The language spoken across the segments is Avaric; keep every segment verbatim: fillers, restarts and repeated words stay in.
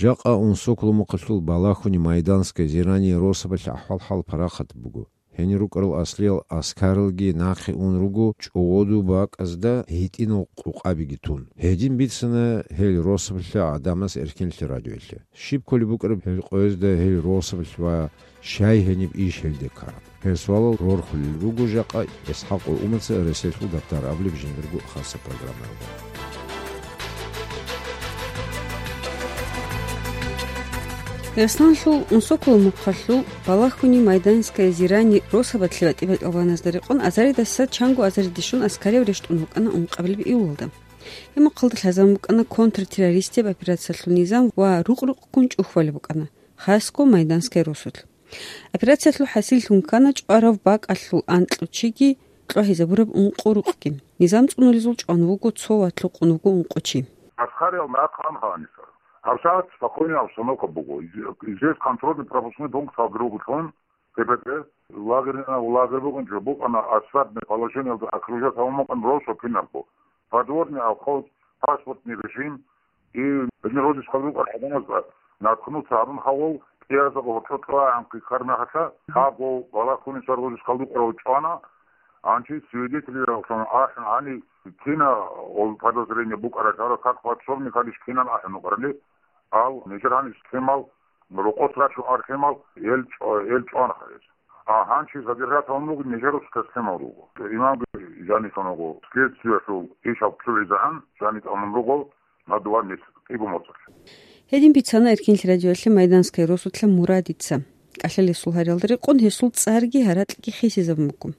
Жакъа Унсоколо мухъалъул Балахуни Майданская Зирани росабалъ ахӀвал-хӀал парахат буго. Гьенир рукӀарал аслиял аскаралги нахъе ун руго чӀодо бакӀазда гьитӀинал къукъабиги тун. Гьедин бицана гьел росабалъа гӀадамаз Эркинлъи радиоялъе. Щиб кколеб букӀараб гьел къоязда гьел росабалъ ва щай гьениб иш гьелде ккараб? Гьел суалал рорхулел руго жакъа ИсхӀакъул умумуца Эресиялъул дабтар абулеб жиндирго хасаб программаялда. Дагъистаналъул Унсоколо мухъалъул Балахуни Майданская Зирани росабалъе батӀи-батӀалганазда рекъон азаридаса чанго азариде щун аскарияв рещтӀун вукӀана ункъабилеб июлалда. Гьеб мухъалда лъазабун букӀана контртеррористияб операциялъул низам ва рукъ-рукъгун чӀухьбалеб букӀана, хасго Майданская росулъ. Операциялъул хӀасиллъун ккана чӀварав бакӀалъул анкьго чиги, кьвагьизабураб ункъо рукъги. Низам цӀунулезул чӀван вуго цо ва лъукъун вуго ункъо чи. Аскариял рахъ ан гьаниса. ГьабсагӀат спокойная обстановка буго. Здесь контрольно-пропускной пункт гьаб ругелъул, КПП, лагерь, лагерь бугин жо букӀана, осадное положениялда окружать гьабун букӀана росу кинабго. Подворный обход, паспортный режим, и гьедин росу хадуб гӀадамазда наткнуться гьабун хавал, кӀиязда гъоркьо кьвагӀан хъикъар мехалъа, гьабго Балахуни саргъузис хадуб къорав чӀвана, гьанчи свидетель ахӀун гьани, кина ол подозрение букӀарал, гьарав как подсобник гьалищ кинан ахӀун вукӀарали, ал нижер гьаниб схемал, рокъос рачун архӀемал, эл чӀо-, эл чӀвана гьарес. А гьанчи задержать гьавун вуго нижер схемал руго. Имам жанисан вуго, следствиялъул ишал чӀугӀизегӀан жанитӀа мун руго на два месяца, кӀиго моцӀалъ. Гьедин бицана Эркинлъи радиоялъе Майданская росулъа Мурадица. КӀалъалесул гьариялда рекъон гьесул цӀарги гьаракьги хисизабун буго.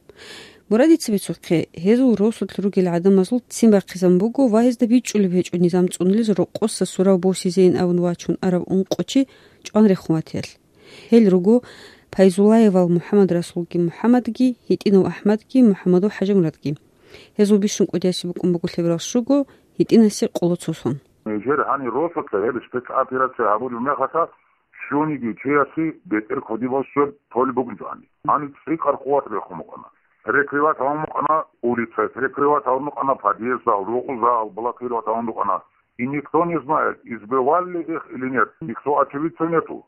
Мурадица бицухъе, гьезул росулъ ругел гӀадамазул ццин бахъизабун буго ва гьезда бичӀчӀулеб гьечӀо низам цӀунулез рокъоса сурав босизейин абун вачун арав ункъо чи чӀван рехун ватиялъ. Гьел руго Пайзуллаевал МухӀаммадрасулги МухӀаммадги, ГьитӀинав АхӀмадги, МухӀаммадов ХӀажимурадги. Гьезул бищун кӀудиясе букӀун буго лъеберал щуго, ГьитӀинасе къоло цо сон. Нижер гьанир росулъа гьеб спецоперация гьабулеб мехалъа, щуниги чиясе бетӀер кодибал сверд толеб бугин гьани. Гьаниб цӀикӀкӀар къуват рехун букӀана. Прикрывать гьавун букӀана улицаялъ, прикрывать гьавун букӀана подъездал, рукъузал, блокировать гьавун букӀана. И никто не знает, избивали их или нет. Никто очевидца нету.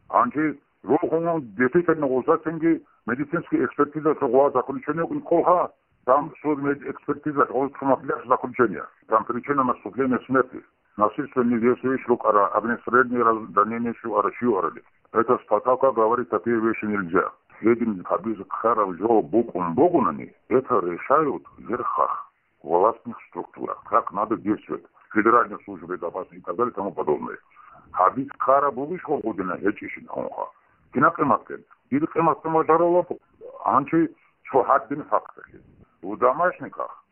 Гьанже рухун действительно гъоза цинги медицинский экспертиза гъоз заключение укӀин кколха, там суд мед-, экспертиза гъоз туматлъи заключение. Там причина наступления смерти. Насильственные действия рукӀара, огнестрельные раз-, ранения щуара, щуарали. Это статья говорит, такие вещи нельзя. Гьедин гьабизе ккараб жо букӀун бугони, это решают в верхах, властных структурах. Как надо действовать. Федеральная служба безопасности и так далее и тому подобное. Гьабизе ккараб бугищ гъодина гьечӀищин гьунха. Кина къиматгӀен? Дир къиматгӀен важаралаб гьанчи цо гьадин факталъе. В домашниках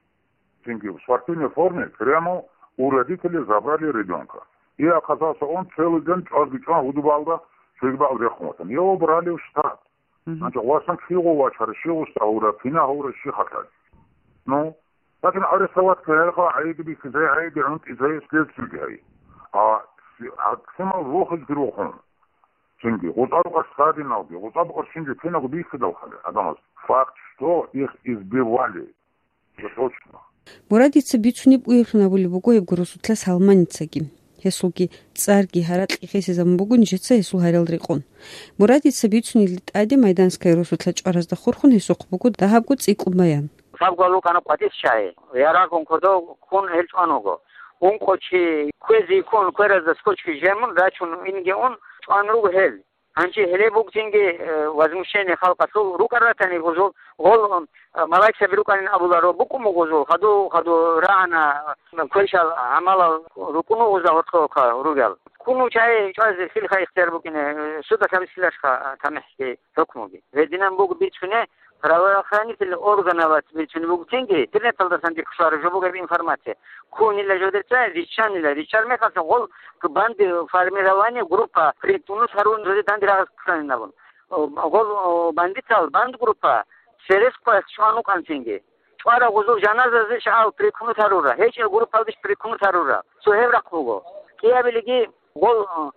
цинги в спортивной форме прямо у родителей забрали ребёнка. И оказался он целый день чӀвазги чӀван гьудубалда цогидаб рехун ватана. Его брали в штат. Мгм. Значит, васан кигъо вачара, щи гъуса гьавра, кина гьавра, щи хатӀа. Ну, лакин арестовать ккаралха, гӀайиб бихьизай, гӀайиб гӀунтӀизай, следствиеги гьай. А, а кимал рухизе рухун? Цинги, гъутӀа рукъа стадиналги, гъутӀа букъа цинги киналго бихьидал хъали гӀадамаз. Факт, что их избивали. Точно. Мурадица бицунеб уяблъун абулеб буго гьеб росулъа Салманицаги. Гьесулги цӀарги гьаракьги хисизабун буго нижеца гьесул гьариялда рекъон. Мурадица бицунелде тӀаде Майданская росулъа чӀваразда хурхун гьесухъ буго дагьабго цӀикӀкӀун баян. Сабго лукӀана къватӀис чагьи. Ярагъун кодов ккун гьел чӀван вуго. Ункъо чи кквезе йиккун, кверазда скотчги жемун, рачун инги ун чӀван руго гьел. Гьанже гьеле бугцинги, э, возмущение халкъалъул рукӀар ратани гъозул, гъол, э, малайкаби рукӀанин абуларо, букӀун буго гъозул, хаду, хаду рагӀана, э, квешал гӀамалал рукӀун буго гъозда гьоркьохъа ругел. Ккун чагьи чӀвазе лъилха ихтияр букӀине, э, судалъ гьабисиларха, э, тамихӀги, хӀукмуги. Гьединан буго бицуне, правоохранительный органалъ бицунеб бугцинги, интернеталдасан дихъ щвараб жо бугеб информация. Ккунила жодеца, риччанила. Риччар мехалъ гъол банди формирование группа прикнус гьарун жоде данде рагъаз кканин абун. Гъол бандитал банд группа Серес къвес чӀван вукӀанцинги. ЧӀвара гъузул жаназазе шагьал прикнус гьарура. ГьечӀеб группалдеш прикнус гьарура. Цо гьеб рахъ буго. КӀиабилиги гъол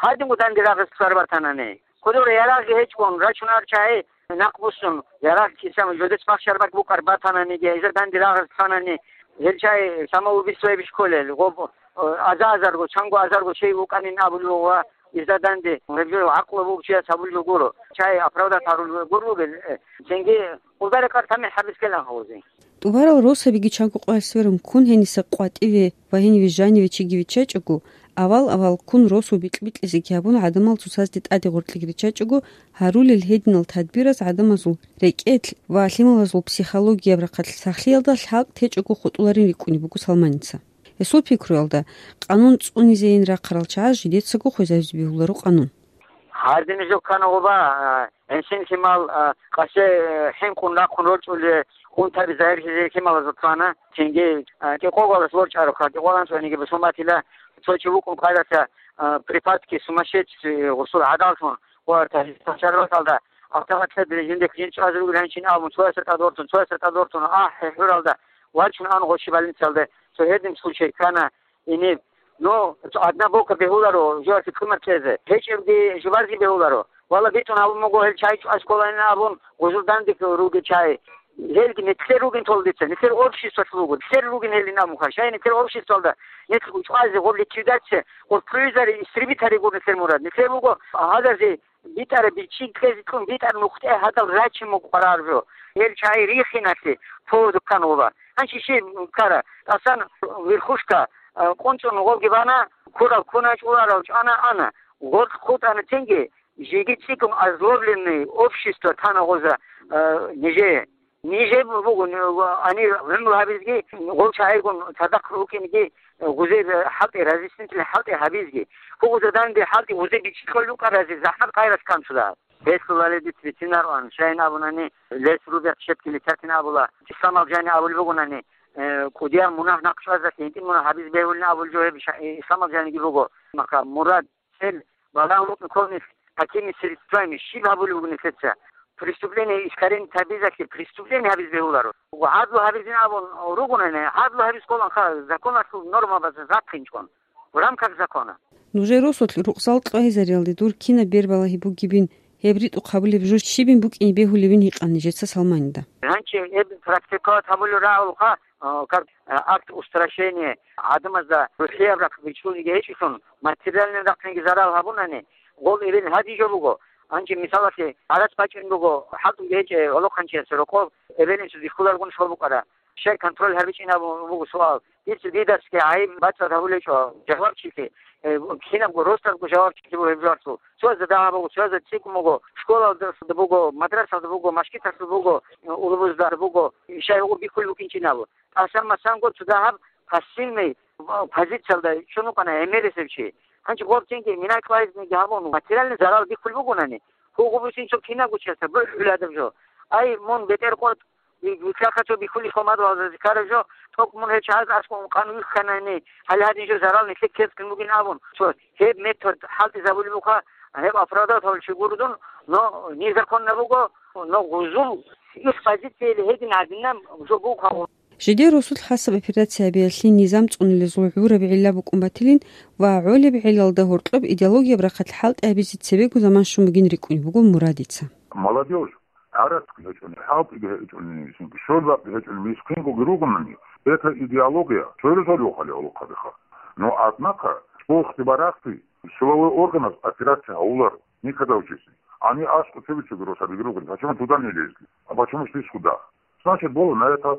гьадин данде рагъаз ккар батанани. Кодора ярагъги гьечӀгун, рачунар чагьи Нахъ буссун, ярагъ кисан жодец махщарбаг букӀар батананиги, гьезда данде рагъаз кканани, гьел чай самоубийствояб иш кколел, гъоб-, аза-азарго, чанго азарго чей вукӀанин абулев ва изда данде гьеб жо гӀакълу бугев чияс гьабулев гуро, чай оправдать гьарулев гуро вугел, э, цинги къулдарикъар тамихӀ гьабискелан гьавузе. ТӀубарал росабиги чанго къоялъ сверун ккун гьениса къватӀиве ва гьениве жаниве чиги виччачӀого, авал-авал ккун росу бикь-бикьизеги гьабун гӀадамал цоцазде тӀаде гъоркьеги риччачӀого, гьарулел гьединал тадбираз гӀадамазул рекӀелъ ва лъималазул психологияб рахъалъ сахлъиялда лъалкӀ течӀого хутӀуларин рикӀкӀунеб буго Салманица. Гьесул пикруялда, къанун цӀунизейин рахъарал чагӀаз жидецаго хвезабизе бегьуларо къанун. Гьардин жо ккана гъоба, а, гӀенсин лъимал, а, къасе, э, хӀинкъун рахъун рорчӀуле, унтаби загьирлъизе лъималазул ккана, цинги, а, кӀикъоялдаса ворчӀаро, кӀикъоялда анцӀгониги бусуматила, цо чи вукӀун къайдаса, а, припадки сумасшедший, э, гъусул гӀадаллъун, ва тажи-, тажарруталда автоматлъи жиндехъ жин чӀвазе ругел гьанчин абун, цоясда тӀадвортун, цоясда тӀадвортун, ахӀи, хӀуралда вачун ан гъочи больницалда, цо гьедин случай ккана, Ине, ну, одна бока бегьуларо, журасе кумар кьезе. ГьечӀебги жубарги бегьуларо. Вала битӀун гьабун буго гьел чай чӀваз кколайин абун, гъужур данде ругел чай. Гьелги нилъер ругин тола дица, нилъер обществалъ руго, нилъер ругин гьелин абун хъа. Шай нилъер обществалда нилъ чӀвазе гъоб ликвидация, гъоб крузери истребитари гур нилъер мурад. Нилъер буго гьадазе битӀараб бичӀчӀи кьезе кьун битӀар нухтӀе гьадал рачи мукъвараржо. Гьел чай рихиналъе поводу ккан гъуба. Гьанчи щиб ккара, тӀасан верхушка, а, къунцӀун гъобги бана, кураб куна, чӀуларав чӀана ана. Гъоркь хутӀана тенги, жеги цӀикӀкӀун озлобленный общество тана гъоза, а, нижее. Нижее буго, ани гӀумру гьабизги, гъов чагӀигун цадахъ рукӀинги, гъузе хӀалтӀи, разъяснительный хӀалтӀи гьабизги. Гъузе данде хӀалтӀи гъузе бичӀчӀи кьолел рукӀаразе захӀмат къайрас канцула. Гьелъулали диц бицинарун, шайин абунани, лес рубят щепкили тятин абула, исламал жани абулеб бугонани, э, кӀудиял мунагь нахъ чӀвазалъе, гьитӀин мунагь гьабизе бегьулин абулеб жо гьеб ша-, исламал жаниги буго. Маха мурад, цел, балагь лукӀун кколнилъ какими средствами, щиб гьабулеб бугони лъеца? Преступление искоренить гьабизалъе преступление гьабизе бегьуларо. ГӀадлу гьабизин абун ругонани, гӀадлу гьабиз кколанха законалъул нормабазда захъинчӀун, в рамках закона. Нужер росулъ рукъзал кьвагьизариялде дур кинаб бербалагьи бугебин, гьеб ритӀухъ гьабулеб жо щибин букӀине бегьулебин гьикъан нижеца Салманида. Гьанчи гьеб практиковать гьабулел рагӀулха, а, как, а, акт устрашения, гӀадамазда рухӀияб рахъ бичӀчӀулниги гьечӀелъун, материальный рахъинги зарал гьабунани, гъол эбел гьадин жо буго. Гьанчи мисалалъе, гӀарац бачӀун буго, хӀалтӀунги гьечӀеб гьолохъанчиясе рокъоб, эбелинчи бихьуларгун щолбукӀара. Щай контроль гьабичӀин абун буго суал. Дица дидасги гӀайиб бацӀцӀад гьабулечӀо жавабчилъи, э, кинабго росдазго жавабчилъи буго гьеб жаваблъул. Цояз дагьаб буго, цояз цӀикӀкӀун буго, школалда буго, мадрасалда буго, машгиталъур буго, э, улбузда буго, ишай гьугъу бихьулеб букӀинчӀин абу. ТӀасан-масанго цо дагьаб пассивный, э, позициялда чӀун вукӀана гӀемерисев чи. Гьанчи гъоб тенги минай кьвайзниги гьабун, материальный зарал бихьулеб бугонани, гьугъу бусин цо кинабго чиясда бухӀулеб гьадаб жо. Ай, мун бетӀер къотӀ, Вилълъахъа цо бихьулищ хъумадвалзазе ккараб жо, тӀокӀ мун гьел чагӀаз аскӀов ункъан вихьанани, гьале гьадин жо зарал нилъер ккезе ккун бугин абун, цо гьеб метод хӀалтӀизабулеб буха, гьеб оправдать гьавулев чи гуродун, но незаконно буго, но гъузул их позицияли гьедин гьадинаб жо буго. Жидер росулъ хасаб операция гьабиялъе низам цӀунулезул гӀураб гӀилла букӀун батилин ва гӀолеб гӀиллалда гьоркьоб идеологияб рахъалъ хӀалтӀи гьабизе цебего заман щун бугин рикӀкӀунеб буго Мурадица. Молодёжь, гӀарацги гьечӀони, хӀалтӀиги гьечӀони, щолбакъги гьечӀони, мискингоги ругонани, это идеология, цоясул рухӀали гӀолохъабиха. Но, однако, цӀухъги барахъги силовой органаз операция гьавуларо, никогда в жизни. Они аскӀов цебе-цебе росабиги ругони, почему туда не лезли? А почему здесь сюда? Значит, было на это,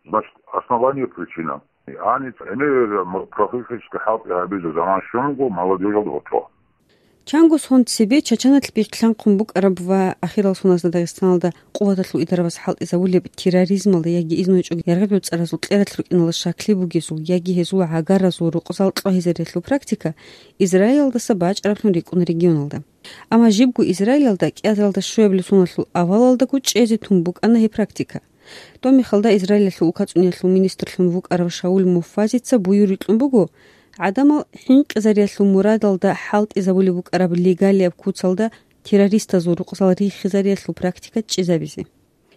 значит, основание, причина. Они имели м-, профилактический хӀалтӀи гьабизе заман щун буго молодёжалда гьоркьо. Чанго сон цебе Чачаналъ бихълъанхъун букӀараб ва ахирал соназда Дагъистаналда къуваталъул идарабаз хӀалтӀизабулеб терроризмалда яги изну гьечӀого яргъиб гӀуцӀаразул кьералъ рукӀиналда щаклъи бугезул яги гьезул гӀагаразул рукъзал кьвагьизариялъул практика Израилалдаса бачӀараблъун рикӀкӀуна регионалда. Амма жибго Израилалда кӀиазаралда щуабилеб соналъул авалалдаго чӀезе тун букӀана гьеб практика. Доб мехалда Израилалъул улкацӀуниялъул министрлъун вукӀарав Шаул Муффазица буюр рикьун буго, гӀадамал хӀинкъизариялъул мурадалда хӀалтӀизабулеб букӀараб легалияб куцалда террористазул рукъзал рихизариялъул практика чӀезабизе.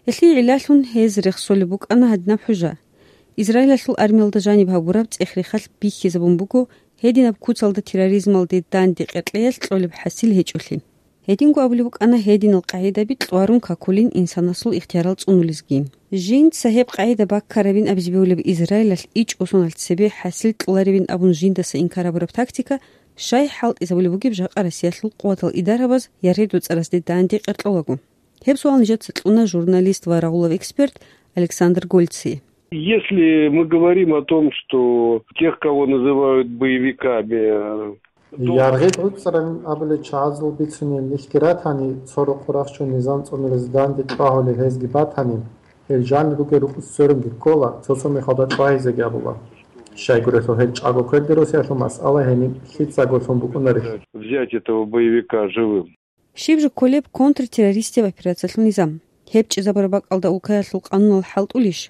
Гьелъие гӀиллалъун гьез рехсолеб букӀана гьадинаб хӀужа. Израилалъул армиялда жаниб гьабураб цӀех-рехалъ бихьизабун буго гьединаб куцалда терроризмалде данде къеркьеялъ кьолеб хӀасил гьечӀолъи. Гьединго абулеб букӀана гьединал къагӀидаби кьварун какулин инсанасул ихтиярал цӀунулезги. Жинца гьеб къагӀида баккарабин абизе бегьулеб Израилалъ ичӀго соналъ цебе хӀасил кьоларебин абун жиндаса инкар гьабураб тактика щай хӀалтӀизабулеб бугеб жакъа Россиялъул къуватал идарабаз яргъи доцӀарасде данде къеркьолаго? Гьеб суал нижеца кьуна журналист ва рагъулав эксперт Александр Гольцие. Если мы говорим о том, что тех, кого называют боевиками, э, то Яргъи доцӀаран абулел чагӀазул бицунел нилъги ратани, цо рокъор ахчун низам цӀунулез данде чӀвагьулел гьезги батани, гьел жанир ругел рукъ сверунги ккола, цо-цо мехалда чӀвагьизеги абула. Щайгурелъул гьел чӀаго кверде росиялъул масъала гьениб лъицаго лъун букӀунарелъул. Взять этого боевика живым. Щиб жо кколеб контртеррористияб операциялъул низам? Гьеб чӀезабураб бакӀалда улкаялъул къануналъ хӀалтӀулищ?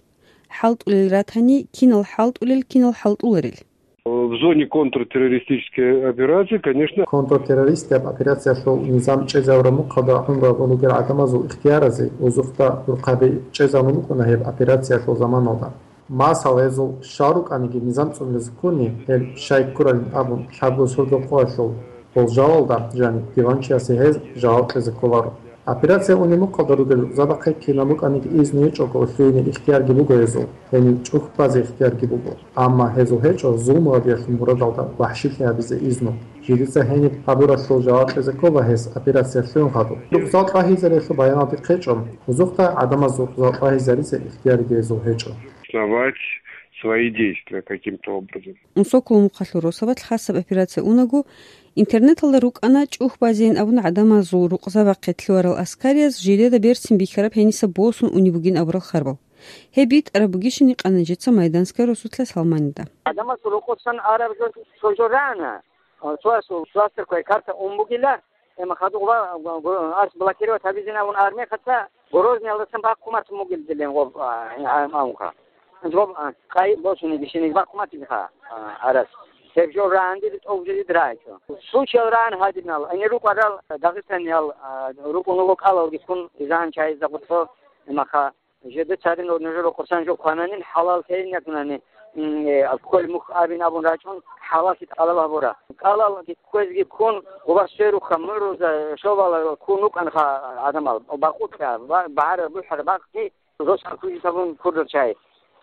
ХӀалтӀулел ратани, кинал хӀалтӀулел, кинал хӀалтӀуларел? В зоне контртеррористической операции, конечно. Контртеррористияб операциялъул низам чӀезабураб мухъалда гӀумруялда ругел гӀадамазул ихтияразе узухъда гӀурхъаби чӀезабун букӀуна гьеб операциялъул заманалда. Масала, гьезул щал рукӀаниги низам цӀунулез ккуни, гьел щай ккуралин абун лъабго сордо къоялъул болжалалда жаниб диванчиясе гьез жаваб кьезе кколаро. Операция унеб мухъалда ругел рукъзабахъе кинаб букӀаниги изну гьечӀого лъугьине ихтиярги буго гьезул, гьенив чӀухь базе ихтиярги буго. Амма гьезул гьечӀо зулму гьабиялъул мурадалда вахӀшилъи гьабизе изну. Жидеца гьениб гьабуралъул жаваб кьезе ккола гьес операция лъугӀун хадуб. Рукъзал тӀагьизариялъул баяналде хъечӀо, узухъда гӀадамазул рукъзал тӀагьизаризе ихтиярги гьезул гьечӀо. Основать свои действия каким-то образом. Унсоколо мухъалъул росабалъ хасаб операция унаго, интернеталда рукӀана чӀухь базейин абун гӀадамазул рукъзабахъе лъугьарал аскарияз жидеда берцин бихьараб гьениса босун унеб бугин абурал харбал. Гьеб битӀараб бугищин гьикъана нижеца майданская росулъа Салманида. Адамас рокъосан араб жо цо жо рана. Цоясул кластер квай карта ун бугила, эма хадугъ ва ас блокировать гьабизин абун армехаца Грозниялдасан бахъумат мугилдилин гъоб, а, а, амха. Гъоб, а, къай босуни бишиниз бахъуматилха, а, арас. Гьеб жо раанди тӀов жидид райчо. Случаял раан гьадинал, ани рукъарал Дагъистаниял, а, рукъун вуго кӀалалги ккун, изан чайизда гъуцо, имаха. Жеде цадин нужер рокъосан жо квананин хӀалал тейин якунани, м, э, алкоголь мухь абин абун рачӀун, хӀалаллъи тӀалаб гьабура. КӀалалги кквезги ккун, гъуба сверухъа муруза шовала ккун вукӀанха гӀадамал, бакъулъа, ба-, багьара бухӀара бахъги, рос алкуги табун курдал чай.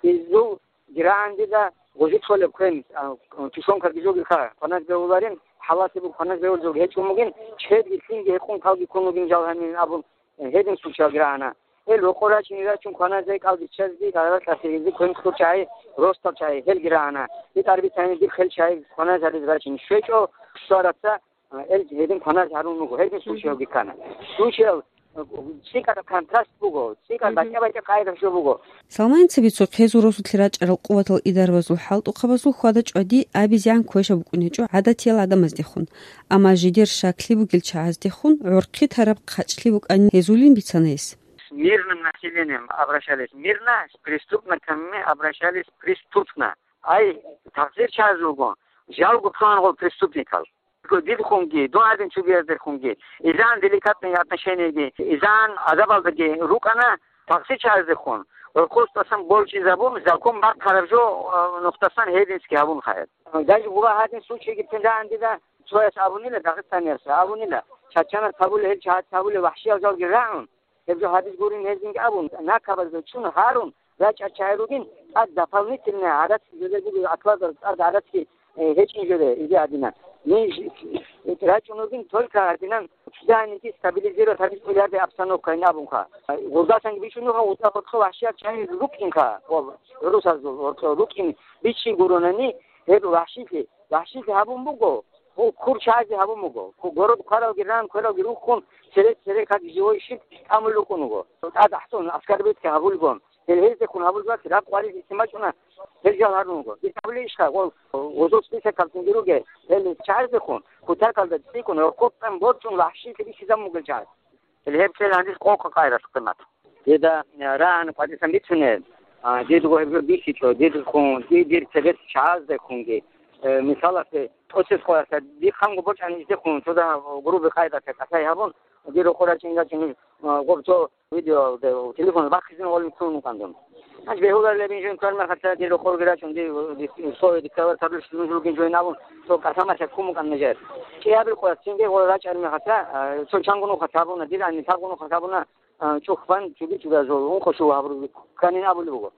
Изул гирагӀандила гъужи кколеб квен, а, тушонкаги жогилха, кваназ бегьуларин, хӀалаллъи буг кваназ бегьулзулги гьечӀун бугин, чедги лъинги гьекъун калги ккун вугин жал гьанин абун, э, гьедин случай гирагӀана. Эл рокъор рачӀине рачун кваназай кӀал биччазги, гӀаракь асиризе квен ккур чагӀи, ростал чагӀи, гьелги рагӀана. БитӀар бицани дир хел чагӀи кваназ гьариз рачӀине щвечӀо, щвараца, а, эл гьедин кваназ гьарун вуго, гьедин случайги ккана. Случаял, а, цӀикӀкӀараб контраст буго, цӀикӀкӀараб батӀа-батӀа къайда жо буго. Салманица бицухъ гьезул росулъе рачӀарал къуватал идарабазул хӀалтӀухъабазул хьвада чӀвади абизегӀан квешаб букӀун гьечӀо гӀадатиял гӀадамаздехун, амма жидер щаклъи бугел чагӀаздехун гӀорхъи тараб хъачӀлъи букӀанин гьезулин бицана гьес. С мирным населением обращались мирно, с преступниками обращались преступно. Ай, такъсир чагӀаз руго, жалго цонгъол преступникал. Дидхунги, дун гьадин чугияздехунги, изан деликатные отношенияги, изан азабалдаги рукӀана такъсир чагӀаздехун, гӀурхъулъ тӀасан борчӀизабун, закон бахъараб жо, а, нухдасан гьедински гьабун хаяд. Даже буга гьадин случайги тендаан дида, цояс абунила, Дагъистанияс абунила, чачанас гьабула, гьел чагӀац гьабула, вахӀшиял жалги рагӀун, гьеб жо гьабиз гурин гьезинги абун, накабазда чун гьарун, рачӀа чай ругин, тӀад дополнительно гӀарац жо буго, акладал тӀад гӀарацги, э, гьечӀин жо, изе гьадинан. Ниж рачӀун ругин, только гьадинан чиданиги стабилизировать гьабиз кӀоларде обстановка гьин абунха. Гъурдасанги бичӀунуха, гъурда гъоркьо вахӀшияб чай рукӀинха, гъурусазул гъоркьо рукӀин бичи гуронани, гьеб вахӀшилъи, вахӀшилъи гьабун буго, гьул кур чазе гьабун буго. Ку-, город кваралги ран, кваралги рухун, цере-цере как живой щит тӀамул рукӀун вуго. ТӀад ахӀун, аскарбетги гьабулгун. Гьел гьездехун гьабулзабац ракъ гъварилъи лъимачӀуна, гьел жал гьарун вуго. Дир гьабулейищха, гъол гъозул списокалцинги ругел, гьел чагӀаздехун, кутакалда цӀикӀкӀун, гъоркьоб тӀан борчӀун вахӀшилъи бихьизабун бугел чагӀаз. Гьеб кьела гьандис къокъа къайралъ къимат. Дида, э, рагӀан къватӀисан бицунел, а, дидго гьеб жо бихьичӀо, дидхун, ди-, дир цебес чагӀаздехунги. Э, мисалалъе, тӀоцеб къоялъа, дихъанго бочӀани издехун, цода грубый къайдалъа кӀалъай гьабун, дир рокъор рачӀин-рачӀин, э, гъоб цо видео, де-, телефон бахъизин гъолин цун кӀандун. Гьанже бегьуларилебин жо ккараб мехалъ, дир рокъорги рачӀун, дир, дир, дир, дир диссазе дир ккараб тарру шилун жугин жойин абун, цо кӀалъамалъа ккун букӀана нижер. КӀиабил къоялъ цинги гъоре рачӀараб мехалъ, а, цо чангун ухъа гьабуна, дир анни тагъун ухъа гьабуна, а, чӀухь бан чуги-чугазул ункъо щуго гьабурги кканин абулеб буго.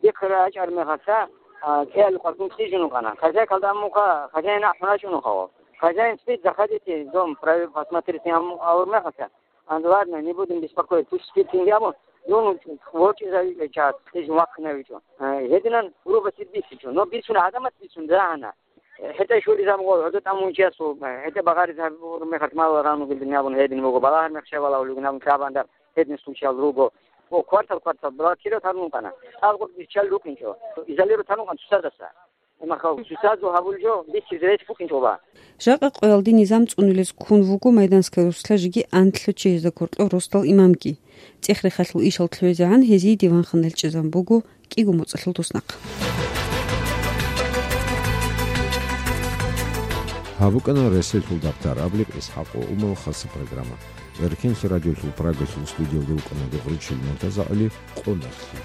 Дихъ рачӀараб мехалъ, а, кӀиабил къоялъ кьижун вукӀана. Хозяйкалда аммуха, хозяин ахӀун рачӀун ухъа. Хозяин спит, заходите в дом, проверь, посмотрите, амму-, абураб мехалъ, А, ну ладно, не будем беспокоить, пусть спит, инги абун, ну, ну, вочизе час, лъизе вахъинавичӀо. Э, гьединан грубости бицичӀо. Но бицун гӀадамас бицун дагьана. Э, гьетӀа щулизе абун гъо, гьодо тӀамун чиясул, э, гьетӀа багъаризе гьабураб мехалъ мал гъанун гилдин абун гьедин буго, балагьар мехшавала улигин абун кабанда гьедин случаял руго. О, квартал, квартал, блокировать гьарун вукӀана. Алгъур биччал рукӀинчӀо. Изолировать гьарун вукӀана цоцаздаса. Имахъав, цоцазул гьабул жо, бихьизе рес букӀинчӀола. Жакъа къоялде низам цӀунулез ккун вуго Майданская Русла жеги анлъго чиясда кваркьав росдал имамги. ЦӀех-рехалъул ишал лъугӀизегӀан гьезие диванхъан релълъизабун буго кӀиго моцӀалъул туснахъ. Гьаб букӀана Ресейлъул дагътар Абликъ ИсхӀакъ ва Умал хаса программа. Эркенлъи радиолъул Прагалъул студиялда рукӀана Дугъричил МуртазагӀали, къо нахъе.